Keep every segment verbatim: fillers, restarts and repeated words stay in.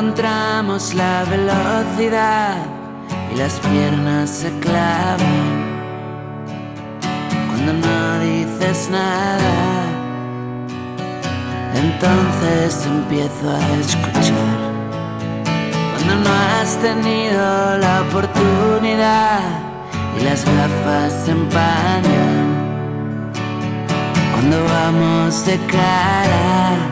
encontramos la velocidad y las piernas se clavan cuando no dices nada. Entonces empiezo a escuchar cuando no has tenido la oportunidad y las gafas se empañan cuando vamos de cara.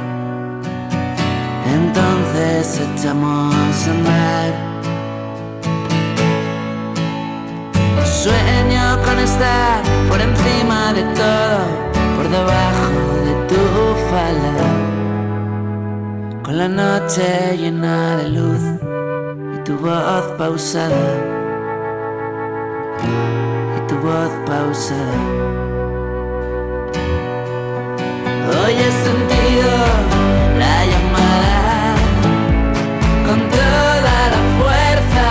Entonces echamos a andar. Sueño con estar por encima de todo, por debajo de tu falda, con la noche llena de luz y tu voz pausada, y tu voz pausada. Hoy he sentido la llamada con toda la fuerza,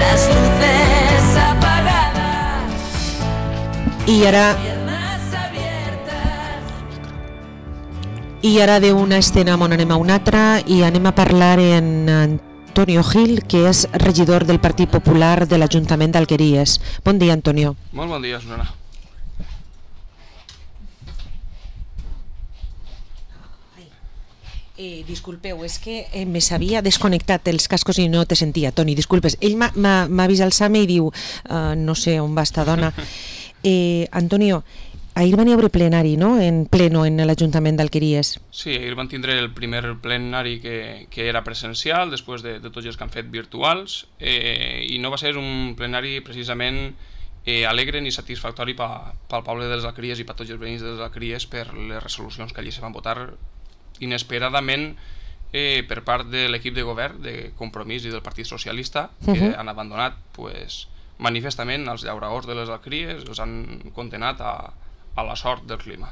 las luces apagadas. I ara i ara d'una escena on anem a una altra i anem a parlar en Antonio Gil, que és regidor del Partit Popular de l'Ajuntament d'Alqueries. Bon dia, Antonio. Molt bon dia, Susana. Eh, disculpeu, és que eh, me s'havia desconnectat els cascos i no te sentia. Toni, disculpes. Ell m'ha vist alçar-me i diu, uh, no sé on va esta dona. Eh, Antonio, ahir van haver plenari, no?, en pleno en l'Ajuntament d'Alqueries. Sí, ahir van tindre el primer plenari que, que era presencial, després de, de tots els que han fet virtuals, eh, i no va ser un plenari precisament eh, alegre ni satisfactori pel poble de les Alqueries i per tots els veïns de les Alqueries per les resolucions que allí se van votar inesperadament eh, per part de l'equip de govern de Compromís i del Partit Socialista, que uh-huh. han abandonat pues, manifestament els llauradors de les Alqueries, els han condenat a, a la sort del clima.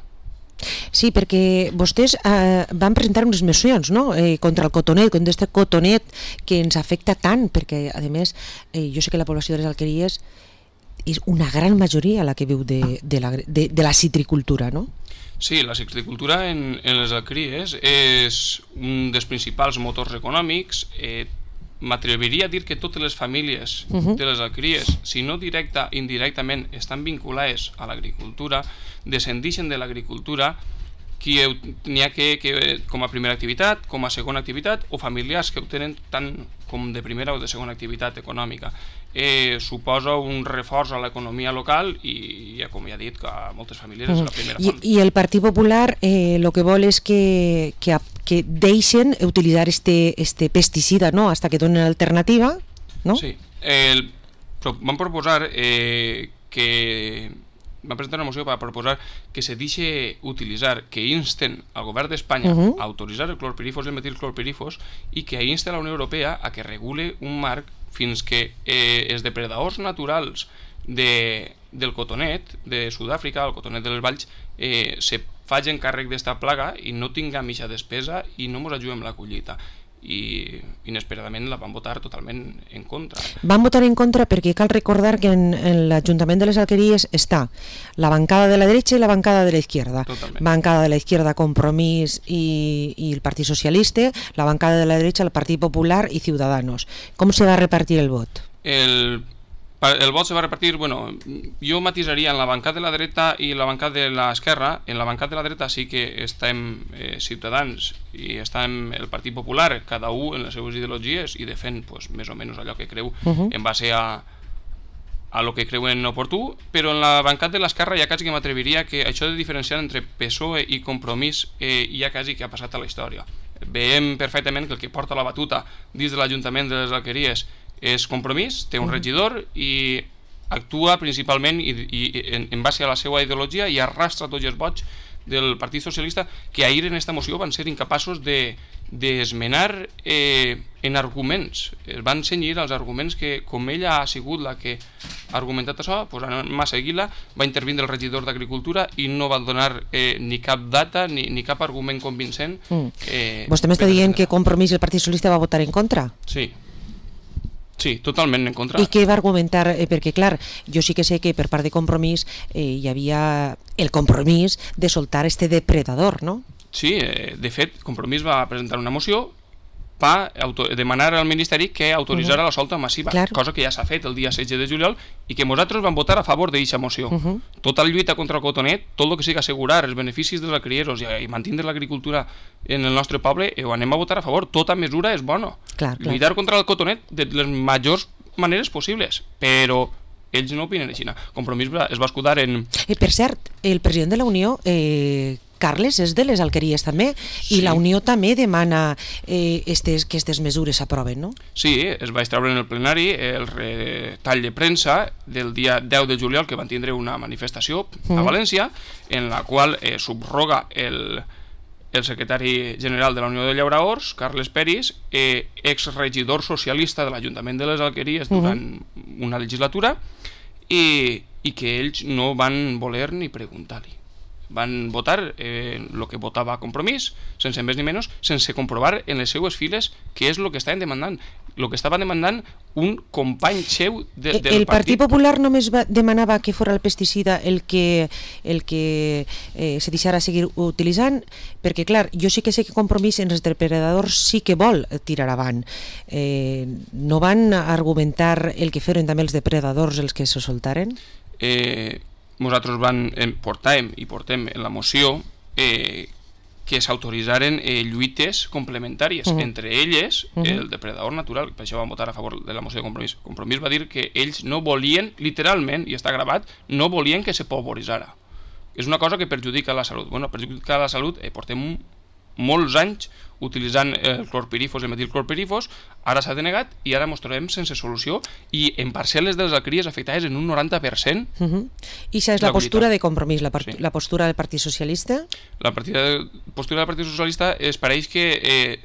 Sí, perquè vostès eh, van presentar unes mocions, no?, eh, contra el cotonet, contra aquest cotonet que ens afecta tant, perquè a més eh, jo sé que la població de les Alqueries és una gran majoria la que viu de, de, la, de, de la citricultura, no? Sí, la citricultura en, en les Alqueries és un dels principals motors econòmics. Eh, M'atreviria a dir que totes les famílies uh-huh. de les Alqueries, si no directa indirectament, estan vinculades a l'agricultura, descendixen de l'agricultura, n'hi ha que, que com a primera activitat, com a segona activitat, o familiars que ho tenen tant com de primera o de segona activitat econòmica. Eh, suposa un reforç a l'economia local i, ja com ja he dit, que a moltes famílies uh-huh. és la primera font. I, i el Partit Popular el eh, que vol és que, que, que deixen utilitzar este, este pesticida, no?, hasta que donen alternativa, no? Sí, el, van proposar eh, que van presentar una moció per proposar que se deixi utilitzar, que insten al govern d'Espanya uh-huh. a autoritzar el clorpirifos i el metilclorpirifos i que insten a la Unió Europea a que regule un marc fins que eh, els depredadors naturals de, del cotonet de Sud-àfrica, el cotonet de les valls, eh, se facin càrrec d'esta plaga i no tinguem eixa despesa i no ens ajudem la collita. I inesperadament la van votar totalment en contra. Van votar en contra perquè cal recordar que en, en l'Ajuntament de les Alqueries està la bancada de la dreta i la bancada de la izquierda. Totalment. Bancada de la izquierda Compromís i, i el Partit Socialista, la bancada de la dreta el Partit Popular i Ciudadanos. Com se va repartir el vot? El El vot se va repartir, bueno, jo matisaria en la bancada de la dreta i la bancada de l'esquerra. En la bancada de la dreta sí que estem eh, Ciutadans i estem el Partit Popular, cada un en les seues ideologies i defèn pues, més o menys allò que creu uh-huh. en base a, a lo que creuen oportú, però en la bancada de l'esquerra ja quasi que m'atreviria que això de diferenciar entre P S O E i Compromís eh, ja quasi que ha passat a la història. Veiem perfectament que el que porta la batuta dins de l'Ajuntament de les Alqueries és Compromís, té un regidor i actua principalment i, i, en, en base a la seva ideologia i arrastra tots els vots del Partit Socialista, que ahir en esta moció van ser incapaços de d'esmenar eh, en arguments. Es van cenyir als arguments que, com ella ha sigut la que ha argumentat això, pues, anem a seguir-la, va intervindre el regidor d'Agricultura i no va donar eh, ni cap data ni, ni cap argument convincent. Mm. Eh, Vostè m'està dient que Compromís i el Partit Socialista va votar en contra? Sí. Sí, totalment en contra. I què va argumentar? Eh, perquè, clar, jo sí que sé que per part de Compromís eh, hi havia el compromís de soltar este depredador, no? Sí, eh, de fet, Compromís va presentar una moció per demanar al Ministeri que autoritzara uh -huh. la solta massiva, Clar. cosa que ja s'ha fet el dia setze de juliol i que nosaltres vam votar a favor d'aquesta moció. Uh -huh. Tota la lluita contra el cotonet, tot el que sigui assegurar els beneficis dels criadors i, i mantenir l'agricultura en el nostre poble, ho anem a votar a favor. Tota mesura és bona. Clar, clar. Lluitar contra el cotonet de les majors maneres possibles, però ells no opinen així. Compromís es va escudar en... Eh, per cert, el president de la Unió, eh, Carles, és de les alqueries també, sí. I la Unió també demana eh, estes, que aquestes mesures s'aproven, no? Sí, es va extraure en el plenari el retall de premsa del dia deu de juliol, que van tindre una manifestació a mm. València, en la qual eh, subroga el... el secretari general de la Unió de Llauraors, Carles Peris, eh, exregidor socialista de l'Ajuntament de les Alqueries durant uh-huh. una legislatura, i, i que ells no van voler ni preguntar-li. Van votar eh, el que votava Compromís, sense més ni menys, sense comprovar en les seues files què és el que estaven demandant. El que estava demandant un company seu de, del el partit. Partit Popular només va, demanava que fos el pesticida el que, el que eh, se deixara seguir utilitzant, perquè clar, jo sí que sé que Compromís en els depredadors sí que vol tirar avant. Eh, no van argumentar el que feren també els depredadors els que se soltaren? Eh, nosaltres van, eh, portàvem i portem en la moció eh, que s'autoritzaren eh, lluites complementàries, uh -huh. entre elles uh -huh. el depredador natural, per això van votar a favor de la moció de Compromís. Compromís va dir que ells no volien, literalment, i està gravat, no volien que se polvoritzara. És una cosa que perjudica la salut. Bueno, perjudica la salut, eh, portem molts anys utilitzant el clorpirifos, el metilclorpirifos, ara s'ha denegat i ara ens trobem sense solució i en parcel·les de les alqueries afectades en un noranta per cent. Uh -huh. I això és la, la postura de Compromís, la, sí. la postura del Partit Socialista? La partida, postura del Partit Socialista es pareix que eh,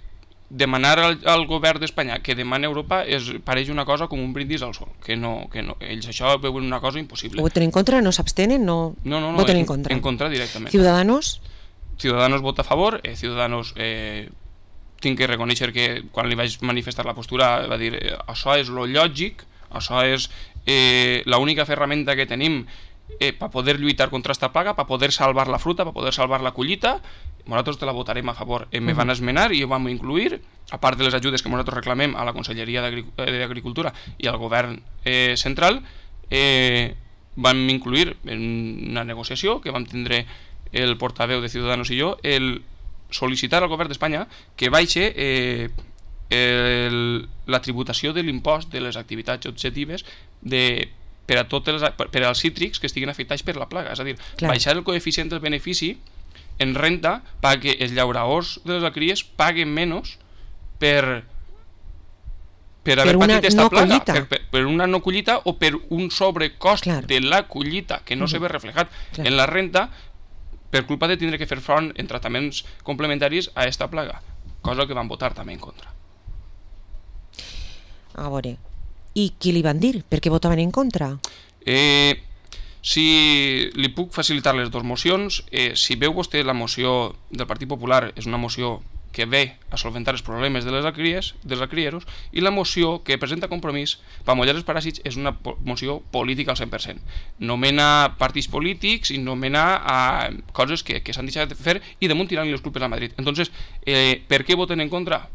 demanar al, al govern d'Espanya que demani a Europa es pareix una cosa com un brindis al sol, que no, que no, ells això veuen una cosa impossible. Ho voten en contra? No s'abstenen? No, no, no, no voten en, en contra? En contra directament. Ciudadanos? Ciudadanos vota a favor, eh, Ciudadanos eh, tinc que reconèixer que quan li vaig manifestar la postura va dir eh, això és lo lògic, això és eh, l'única ferramenta que tenim eh, per poder lluitar contra esta plaga, per poder salvar la fruta, per poder salvar la collita. Nosaltres te la votarem a favor. Eh, me van esmenar i ho vam incluir, a part de les ajudes que nosaltres reclamem a la Conselleria d'Agricultura i al govern eh, central, eh, vam incluir en una negociació que vam tindre el portaveu de Ciudadanos i jo, el sol·licitar al govern d'Espanya que baixi eh, el, la tributació de l'impost de les activitats objectives de, per, a totes les, per, per als cítrics que estiguin afectats per la plaga. És a dir, clar, baixar el coeficient del benefici en renta perquè els llauraors de les alqueries paguen menys per per haver per patit aquesta no plaga, per, per, per una no collita o per un sobrecost, clar, de la collita que no uh-huh. se ve reflejat, clar, en la renta per culpa de tindre que fer front en tractaments complementaris a aquesta plaga, cosa que van votar també en contra. A veure, i qui li van dir? Per què votaven en contra? Eh, si li puc facilitar les dues mocions, eh, si veu vostè la moció del Partit Popular, és una moció que ve a solventar els problemes de les alqueries, dels alquerieros, i la moció que presenta Compromís per mullar els paràsits és una moció política al cent per cent. Nomena partits polítics i nomena a coses que, que s'han deixat de fer i damunt tirant les culpes a Madrid. Entonces, eh, per què voten en contra?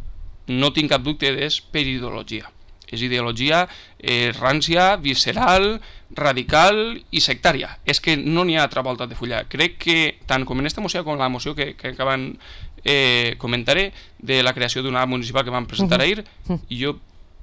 No tinc cap dubte, és per ideologia. És ideologia eh, rància, visceral, radical i sectària. És que no n'hi ha altra volta de fullar. Crec que tant com en aquesta moció com en la moció que, que acaben eh, comentaré de la creació d'una municipal que vam presentar uh -huh. ahir, uh -huh. i jo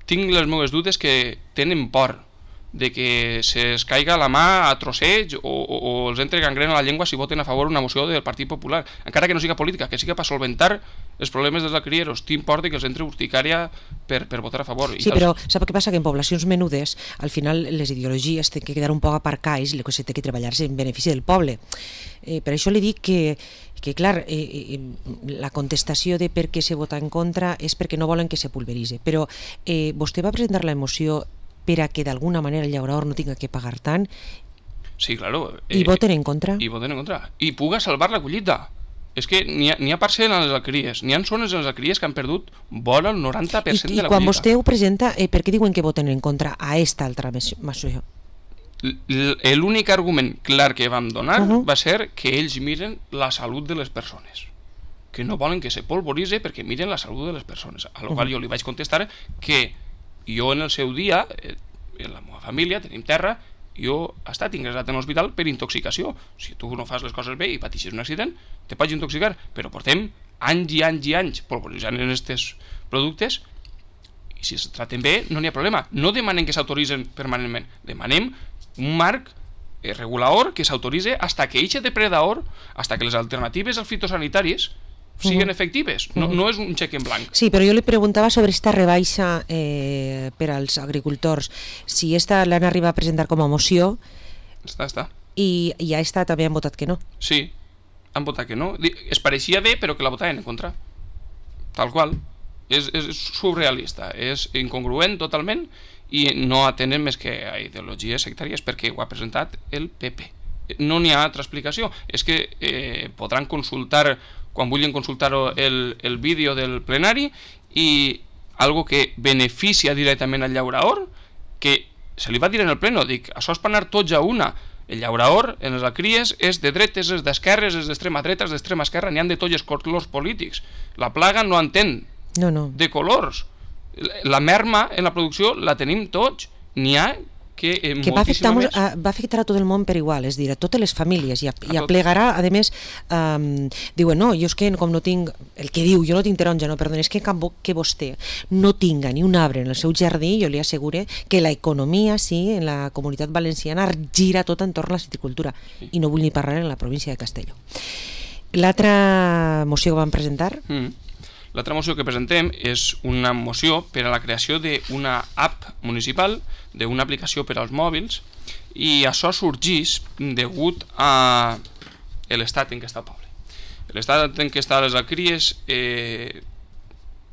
tinc les meves dubtes que tenen por de que se'ls caiga la mà a trosseig o, o, o els entre gangrena a la llengua si voten a favor una moció del Partit Popular, encara que no siga política, que siga per solventar els problemes dels alquerieros. T'importa que els entre urticària per, per votar a favor. Sí, però sap què passa? Que en poblacions menudes al final les ideologies tenen que quedar un poc aparcades i el que s'ha de treballar-se en benefici del poble. Eh, per això li dic que que clar, eh, eh, la contestació de per què se vota en contra és perquè no volen que se pulveritzi, però eh, vostè va presentar la moció per a que d'alguna manera el llaurador no tinga que pagar tant. Sí, claro. Eh, I voten en contra. I voten en contra. I puga salvar la collita. És que n'hi ha, n'hi ha parcel·les en les alqueries, n'hi ha zones en les alqueries que han perdut vora el noranta per cent I, de la I quan collita. vostè ho presenta, eh, per què diuen que voten en contra a esta altra moció? L'únic argument clar que vam donar uh -huh. va ser que ells miren la salut de les persones. perquè no volen que se polvoritze, perquè miren la salut de les persones. A la qual jo li vaig contestar que jo en el seu dia, en la meva família, tenim terra, jo he estat ingressat en l'hospital per intoxicació. Si tu no fas les coses bé i pateixes un accident, te pots intoxicar, però portem anys i anys i anys polvoritzant en aquests productes i si es traten bé no n'hi ha problema. No demanem que s'autoritzen permanentment, demanem un marc regulador que s'autoritze hasta que eixe depredador, hasta que les alternatives als fitosanitaris siguen efectives, no, no és un xec en blanc. Sí, però jo li preguntava sobre esta rebaixa eh, per als agricultors, si esta l'han arribat a presentar com a moció. Està, està. I, i a esta també han votat que no. Sí, han votat que no. Es pareixia bé, però que la votaven en contra. Tal qual. És, és surrealista, és incongruent totalment i no atenen més que a ideologies sectàries perquè ho ha presentat el P P. No n'hi ha altra explicació. És que eh, podran consultar quan vulguin consultar el, el vídeo del plenari i algo que beneficia directament al llaurador, que se li va dir en el pleno, dic, això és per anar tots a una. El llaurador en les alcries és de dretes, és d'esquerres, és d'extrema dreta, és d'extrema esquerra, n'hi han de tots els colors polítics. La plaga no entén no, no. de colors. La merma en la producció la tenim tots. N'hi ha que, eh, que va, afectar, més... a, va afectar a tot el món per igual, és a dir, a totes les famílies, i, a, i aplegarà, a més, um, diuen, no, jo és que com no tinc, el que diu, jo no tinc taronja, no, perdona, és que, que vostè no tinga ni un arbre en el seu jardí, jo li assegure que la economia, sí, en la comunitat valenciana gira tot entorn a la citricultura, sí. I no vull ni parlar en la província de Castelló. L'altra moció que van presentar... Mm. L'altra moció que presentem és una moció per a la creació d'una app municipal, d'una aplicació per als mòbils, i això sorgeix degut a l'estat en què està el poble. L'estat en què estan les alcries, eh,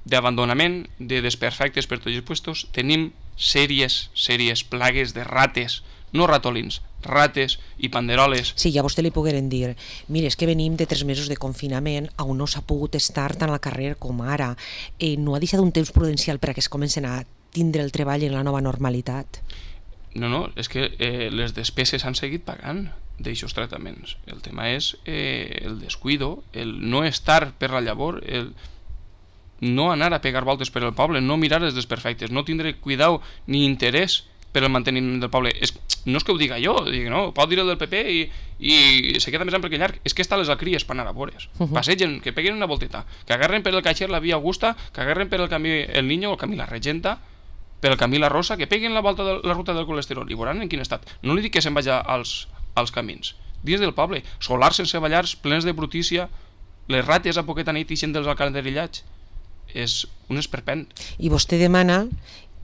d'abandonament, de desperfectes per tots els puestos, tenim sèries, sèries plagues de rates, no ratolins, rates i panderoles. Sí, ja a vostè li pogueren dir, mira, és que venim de tres mesos de confinament on no s'ha pogut estar tant al carrer com ara, eh, no ha deixat un temps prudencial perquè es comencen a tindre el treball en la nova normalitat. No, no, és que eh, les despeses han seguit pagant d'aixòs tractaments. El tema és eh, el descuido, el no estar per la llavor, el no anar a pegar voltes per el poble, no mirar els desperfectes, no tindre cuidau ni interès per el manteniment del poble. És, no és que ho diga jo, dic, no, pot dir el del P P i, i se queda més ample que llarg. És que està les alcries per anar a vores. Uh -huh. Passegen, que peguen una volteta, que agarren per el caixer la via Augusta, que agarren per el camí el Niño, el camí la Regenta, per el camí la Rosa, que peguen la volta de la ruta del colesterol i veuran en quin estat. No li dic que se'n vagi als, als camins. Dins del poble, solars sense ballars, plens de brutícia, les rates a poqueta nit ixen dels alcantarillats. És un esperpent. I vostè demana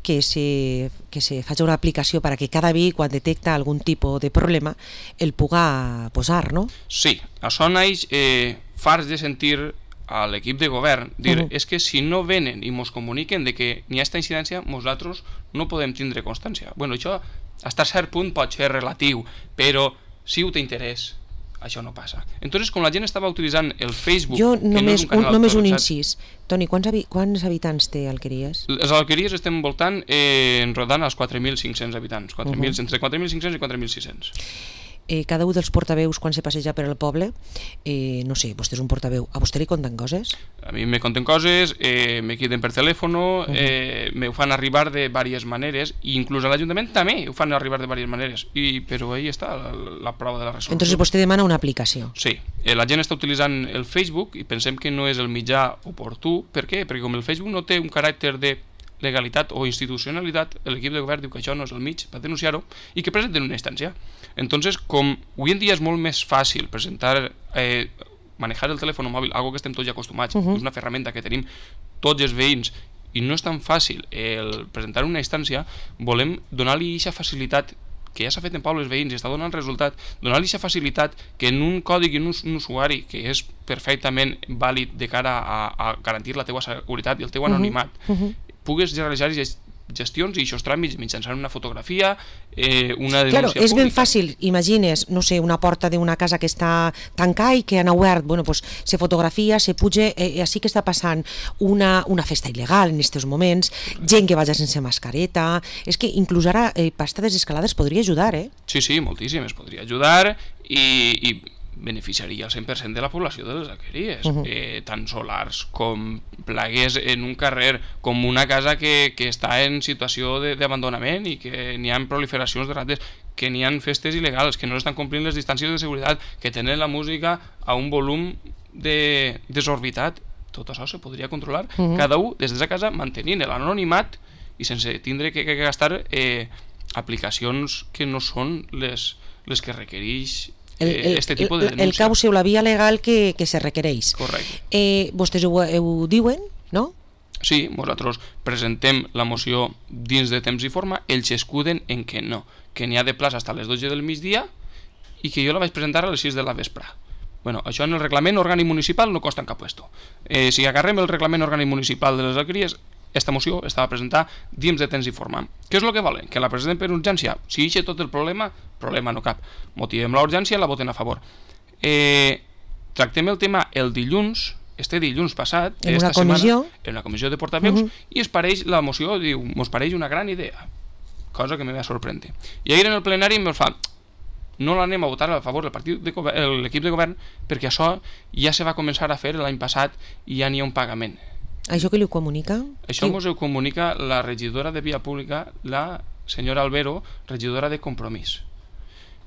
que se, que se faci una aplicació perquè cada vi, quan detecta algun tipus de problema, el puga posar, no? Sí, això naix eh, farts de sentir a l'equip de govern dir, uh -huh. és que si no venen i mos comuniquen de que n'hi ha aquesta incidència, nosaltres no podem tindre constància. Bueno, això, fins a cert punt pot ser relatiu, però si ho t'interès, això no passa. Entonces, com la gent estava utilitzant el Facebook... Jo només, no un, un, només un incís. Toni, quants, habi quants habitants té Alqueries? Les Alqueries estem voltant, eh, enrodant als quatre mil cinc-cents habitants, quatre mil, uh -huh. entre quatre mil cinc-cents i quatre mil sis-cents. Eh, cada un dels portaveus, quan se passeja per el poble, eh, no sé, vostè és un portaveu, a vostè li conten coses? A mi me conten coses, eh, me queden per telèfon, uh -huh. eh, me ho fan arribar de diverses maneres, i inclús a l'Ajuntament també ho fan arribar de diverses maneres, i, però ahí està la, la prova de la resolució. Entonces vostè demana una aplicació. Sí, eh, la gent està utilitzant el Facebook i pensem que no és el mitjà oportú. Per què? Perquè com el Facebook no té un caràcter de legalitat o institucionalitat, l'equip de govern diu que això no és el mig per denunciar-ho i que presenten una instància. Entonces, com avui en dia és molt més fàcil presentar, eh, manejar el telèfon mòbil, algo que estem tots ja acostumats, uh -huh. és una ferramenta que tenim tots els veïns i no és tan fàcil el presentar una instància, volem donar-li aquesta facilitat que ja s'ha fet en pobles veïns i està donant resultat, donar-li aquesta facilitat que en un còdig i en un, un usuari que és perfectament vàlid de cara a, a garantir la teua seguretat i el teu anonimat, uh -huh. pugues realitzar gestions i aquests tràmits mitjançant una fotografia, eh, una denúncia claro, és pública. ben fàcil, imagines, no sé, una porta d'una casa que està tancada i que han obert, bueno, pues se fotografia, se puja, eh, així que està passant una, una festa il·legal en aquests moments, gent que vaja sense mascareta, és que inclús ara eh, pasta desescalada es podria ajudar, eh? Sí, sí, moltíssim, es podria ajudar i, i beneficiaria el cent per cent de la població de les alqueries, Uh-huh. eh, tant solars com plagues en un carrer, com una casa que, que està en situació de- d'abandonament i que n'hi ha proliferacions de rates, que n'hi ha festes il·legals, que no estan complint les distàncies de seguretat, que tenen la música a un volum de desorbitat. Tot això se podria controlar, Uh-huh. cada un des de sa casa mantenint l'anonimat i sense tindre que, que gastar eh, aplicacions que no són les, les que requereix El, el, este tipus de el, el denúncia. cauce o la via legal que, que se requereix. Correcte. Eh, vostès ho, ho diuen, no? Sí, nosaltres presentem la moció dins de temps i forma, ells escuden en que no, que n'hi ha de plaça fins a les dotze del migdia i que jo la vaig presentar a les sis de la vespre. Bueno, això en el reglament orgànic municipal no costa en cap puesto. Eh, si agarrem el reglament orgànic municipal de les alqueries, esta moció estava presentada dins de temps i forma. Què és el que volen? Que la presentem per urgència? Si eixe tot el problema, problema no cap. Motivem la urgència, la voten a favor. Eh, tractem el tema el dilluns, este dilluns passat, En una esta comissió. setmana, en una comissió de portaveus, Uh-huh. i es pareix, la moció diu, mos pareix una gran idea, cosa que me va sorprendre. I ahir en el plenari em fa, no l'anem a votar a favor del partit de govern, l'equip de govern, perquè això ja se va començar a fer l'any passat i ja n'hi ha un pagament. Això que li ho comunica? Això Qui- mos ho comunica la regidora de Via Pública, la senyora Albero, regidora de Compromís.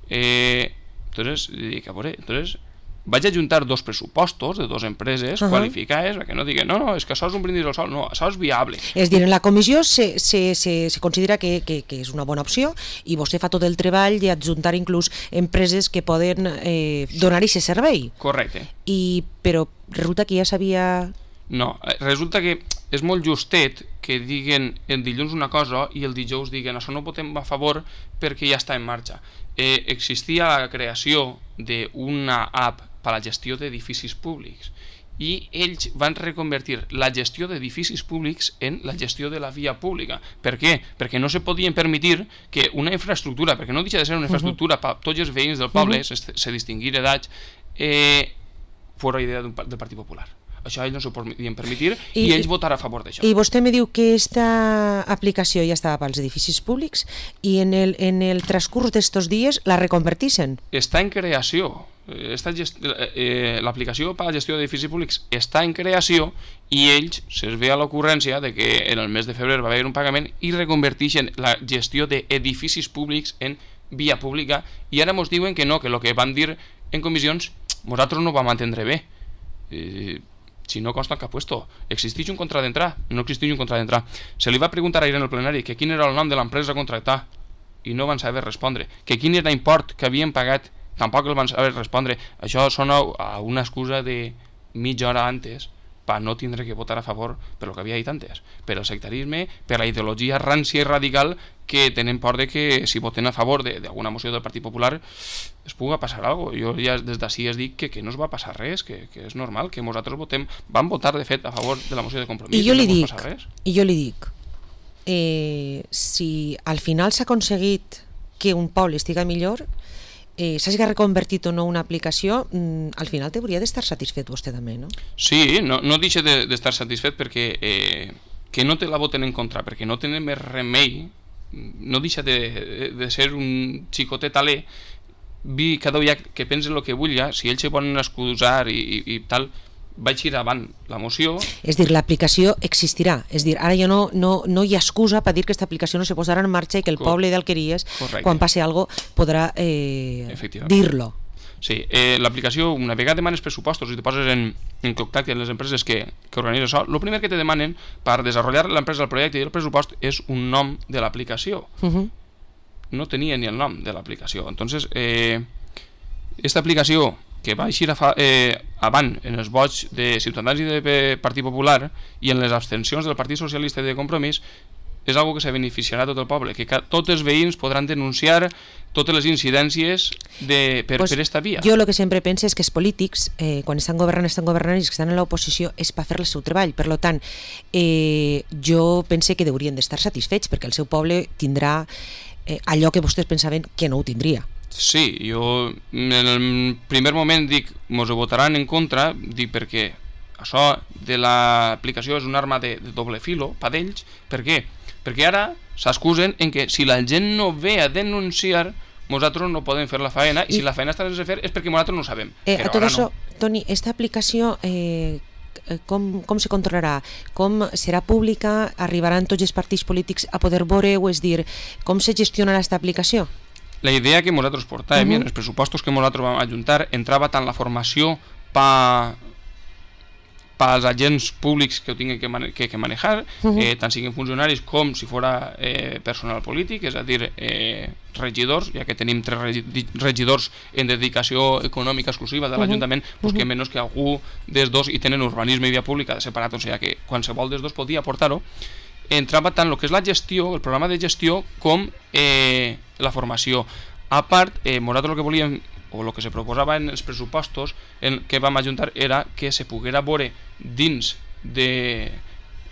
Eh, entonces, dic, a veure, entonces, vaig ajuntar dos pressupostos de dos empreses Ajá. qualificades, perquè no diguen, no, no, és que això és un brindis al sol, no, això és viable. És dir, en la comissió se, se, se, se considera que, que, que és una bona opció i vostè fa tot el treball i adjuntar inclús empreses que poden eh, donar aquest servei. Correcte. I, però resulta que ja s'havia... No, eh, resulta que és molt justet que diguen el dilluns una cosa i el dijous diguen això no ho votem a favor perquè ja està en marxa. Eh, existia la creació d'una app per a la gestió d'edificis públics i ells van reconvertir la gestió d'edificis públics en la gestió de la via pública. Per què? Perquè no se podien permetir que una infraestructura, perquè no deixa de ser una infraestructura per tots els veïns del poble, se, se distinguir edats, eh, fora idea d'un, del Partit Popular. Això ells no s'ho podien permetir i, I- i ells votar a favor d'això. I vostè me diu que aquesta aplicació ja estava pels edificis públics i en el, en el transcurs d'estos dies la reconvertixen. Està en creació. Esta gest... eh, l'aplicació per a la gestió d'edificis públics està en creació i ells se'ls ve a l'ocurrència de que en el mes de febrer va haver un pagament i reconverteixen la gestió d'edificis públics en via pública i ara mos diuen que no, que el que van dir en comissions nosaltres no ho vam entendre bé. Eh, si no consta en cap puesto, existeix un contracte d'entrar, no existeix un contracte d'entrar. Se li va preguntar ahir en el plenari que quin era el nom de l'empresa a contractar i no van saber respondre, que quin era l'import que havien pagat, tampoc el van saber respondre. Això sona a una excusa de mitja hora antes per no tindre que votar a favor per lo que havia dit antes, per el sectarisme, per la ideologia rància i radical que tenen por de que si voten a favor d'alguna moció del Partit Popular es puga passar alguna cosa. Jo ja des d'ací es dic que, que no es va passar res, que, que és normal, que nosaltres votem, vam votar de fet a favor de la moció de Compromís. I jo li no dic, i jo li dic, eh, si al final s'ha aconseguit que un poble estiga millor, eh, s'hagi reconvertit o no una aplicació, mm, al final t'hauria d'estar satisfet vostè també, no? Sí, no, no deixa d'estar de, satisfet perquè eh, que no te la voten en contra, perquè no tenen més remei, no deixa de, de ser un xicotet alè, vi cada dia que pensa el que vull, si ells se poden excusar i, i, i tal, vaig ir avant la moció. És dir, l'aplicació existirà, és dir, ara ja no, no, no hi ha excusa per dir que aquesta aplicació no se posarà en marxa i que el Cor poble d'Alqueries, Correcte. quan passi alguna cosa, podrà eh, dir-lo. Sí, eh, l'aplicació, una vegada demanes pressupostos i te poses en, en contacte amb les empreses que, que organitzen això, el primer que te demanen per desenvolupar l'empresa, el projecte i el pressupost és un nom de l'aplicació. Uh -huh. No tenia ni el nom de l'aplicació. Entonces, eh, esta aplicació que va eixir a fa, eh, avant en els vots de Ciutadans i de Partit Popular i en les abstencions del Partit Socialista i de Compromís és algo que se beneficiarà tot el poble, que tots els veïns podran denunciar totes les incidències de, per, pues per esta via. Jo el que sempre penso és que els polítics, eh, quan estan governant, estan governant i els que estan en l'oposició és per fer el seu treball. Per tant, eh, jo pense que haurien d'estar satisfets perquè el seu poble tindrà eh, allò que vostès pensaven que no ho tindria. Sí, jo en el primer moment dic, mos ho votaran en contra, dic perquè això de l'aplicació és una arma de, de doble filo per d'ells. Per què? Perquè ara s'excusen en que si la gent no ve a denunciar, nosaltres no podem fer la faena, i si la faena està sense fer és perquè nosaltres no ho sabem. Eh, Però a tot ara això, no. Toni, esta aplicació eh, com, com se controlarà? Com serà pública? Arribaran tots els partits polítics a poder veure, o és dir, com se gestionarà aquesta aplicació? La idea que nosaltres portàvem, uh -huh. en els pressupostos que nosaltres vam ajuntar, entrava tant la formació pa pels agents públics que ho tinguin que, mane que, que manejar, uh -huh. eh, tant siguin funcionaris com si fora eh, personal polític, és a dir, eh, regidors, ja que tenim tres regidors en dedicació econòmica exclusiva de l'Ajuntament, uh -huh. pues que menys que algú dels dos i tenen urbanisme i via pública separat, o sigui que qualsevol dels dos podia aportar-ho. Entrava tant el que és la gestió, el programa de gestió, com eh, la formació. A part, eh, nosaltres el que volíem, o el que se proposava en els pressupostos en que vam ajuntar, era que se poguera veure dins de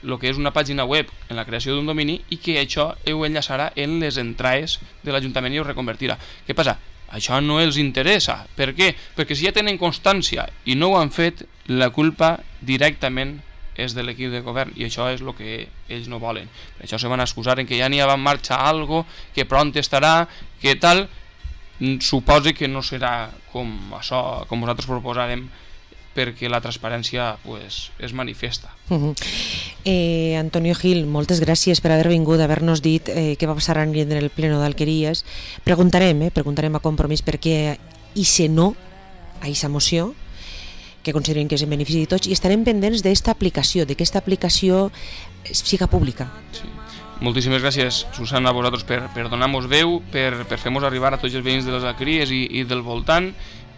el que és una pàgina web en la creació d'un domini, i que això ho enllaçarà en les entrades de l'Ajuntament i ho reconvertirà. Què passa? Això no els interessa. Per què? Perquè si ja tenen constància i no ho han fet, la culpa directament és de l'equip de govern, i això és el que ells no volen. Per això se van excusar en que ja n'hi ha en marxa algo, que pront estarà, que tal. Suposo que no serà com això, com nosaltres proposarem, perquè la transparència pues, és manifesta. Uh -huh. eh, Antonio Gil, moltes gràcies per haver vingut, haver-nos dit eh, què va passar en el pleno d'Alqueries. Preguntarem, eh, preguntarem a Compromís per què i si no a aquesta moció, que consideren que és en benefici de tots, i estarem pendents d'esta aplicació, de que aquesta aplicació siga pública. Sí. Moltíssimes gràcies, Susana, a vosaltres per, per donar-nos veu, per, per fer-nos arribar a tots els veïns de les Alqueries i, i del voltant,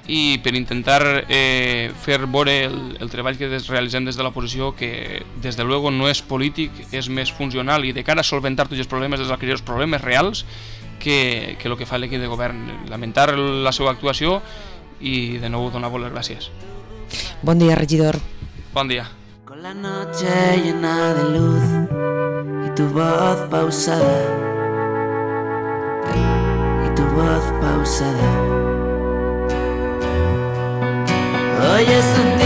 i per intentar eh, fer veure el, el treball que des, realitzem des de l'oposició, que des de luego no és polític, és més funcional i de cara a solventar tots els problemes dels Alqueries, els problemes reals, que, que el que fa l'equip de govern. Lamentar la seva actuació i de nou donar-vos les gràcies. Bon dia, regidor. Bon dia. Con la noche llena de luz y tu voz pausada, y tu voz pausada. Hoy es un día